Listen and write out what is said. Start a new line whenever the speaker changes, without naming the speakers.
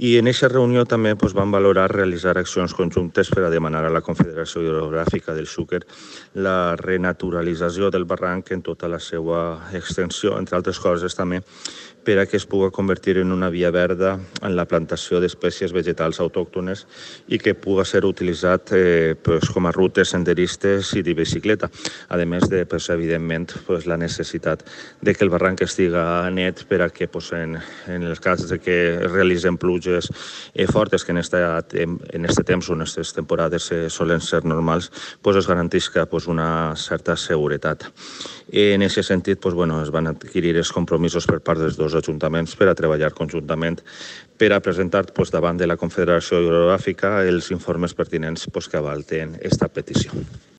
I en aquesta reunió també van valorar realitzar accions conjuntes per a demanar a la Confederació Hidrogràfica del Xúquer la renaturalització del barranc en tota la seva extensió, entre altres coses també per a que es pugui convertir en una via verda en la plantació d'espècies vegetals autòctones i que pugui ser utilitzat com a rutes senderistes i de bicicleta. A més de, evidentment, la necessitat de que el barranc estiga net per a que en el cas de que es realitzen pluges fortes, que en aquest temps o en aquestes temporades solen ser normals, es garantisca una certa seguretat. En aquest sentit, es van adquirir els compromisos per part dels dos ajuntaments per a treballar conjuntament per a presentar davant de la Confederació Hidrogràfica els informes pertinents que avalten aquesta petició.